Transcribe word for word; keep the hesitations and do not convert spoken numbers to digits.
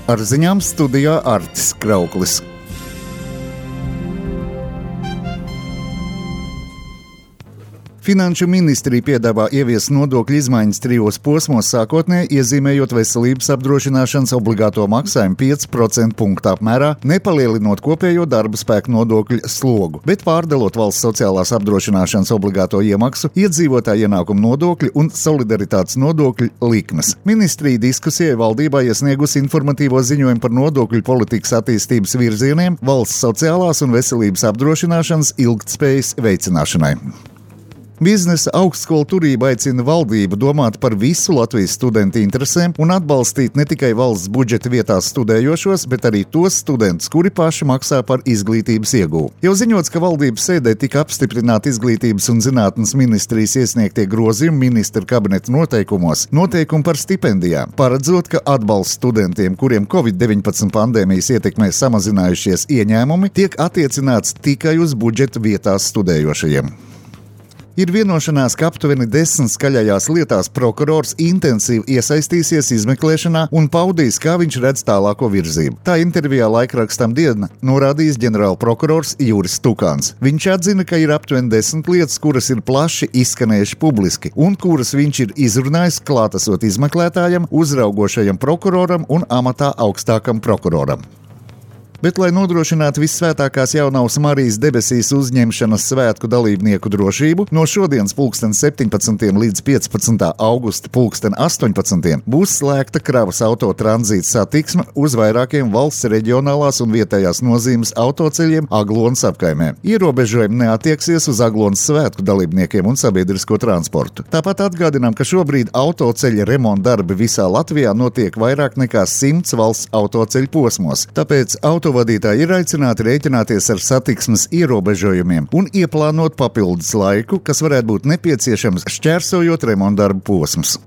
Ar ziņām studijā Artis Krauklis. Finanšu ministrija piedāvā ieviest nodokļu izmaiņas trijos posmos, sākotnēji iezīmējot veselības apdrošināšanas obligāto maksājumu pieci procenti punktu apmērā, nepalielinot kopējo darba spēka nodokļu slogu, bet pārdalot valsts sociālās apdrošināšanas obligāto iemaksu, iedzīvotāju ienākumu nodokļu un solidaritātes nodokļu likmes. Ministrija diskusijai valdībā iesniegusi informatīvo ziņojumu par nodokļu politikas attīstības virzieniem valsts sociālās un veselības apdrošināšanas ilgtspējas veicināšanai. Biznesa augstskolu turība aicina valdību domāt par visu Latvijas studentu interesēm un atbalstīt ne tikai valsts budžeta vietās studējošos, bet arī tos studentus, kuri paši maksā par izglītības iegūvu. Jau ziņots, ka valdības sēdē tika apstiprināti izglītības un zinātnes ministrijas iesniegtie grozījumi ministra kabineta noteikumos, noteikumi par stipendijām, paredzot, ka atbalsts studentiem, kuriem covid deviņpadsmit pandēmijas ietekmē samazinājušies ieņēmumi, tiek attiecināts tikai uz budžeta vietās studējošajiem. Ir vienošanās, ka aptuveni desmit skaļajās lietās prokurors intensīvi iesaistīsies izmeklēšanā un paudīs, kā viņš redz tālāko virzību. Tā intervijā laikrakstam Diena norādījis ģenerālprokurors Juris Tukāns. Viņš atzina, ka ir aptuveni desmit lietas, kuras ir plaši izskanējuši publiski un kuras viņš ir izrunājis klātesot izmeklētājam, uzraugošajam prokuroram un amatā augstākam prokuroram. Bet, lai nodrošinātu vissvētākās jaunavas Marijas debesīs uzņemšanas svētku dalībnieku drošību, no šodienas pulksten septiņpadsmitiem līdz piecpadsmitā augusta pulksten astoņpadsmitiem būs slēgta kravas auto tranzīta satiksme uz vairākiem valsts reģionālās un vietējās nozīmes autoceļiem Aglonas apkaimē. Ierobežojumi neatieksies uz Aglonas svētku dalībniekiem un sabiedrisko transportu. Tāpat atgādinām, ka šobrīd autoceļa remonta darbi visā Latvijā notiek vairāk nekā simts valsts autoceļu posmos, tāpēc auto Autovadītāji ir aicināti rēķināties ar satiksmes ierobežojumiem un ieplānot papildus laiku, kas varētu būt nepieciešams šķērsojot remontdarbu posmus.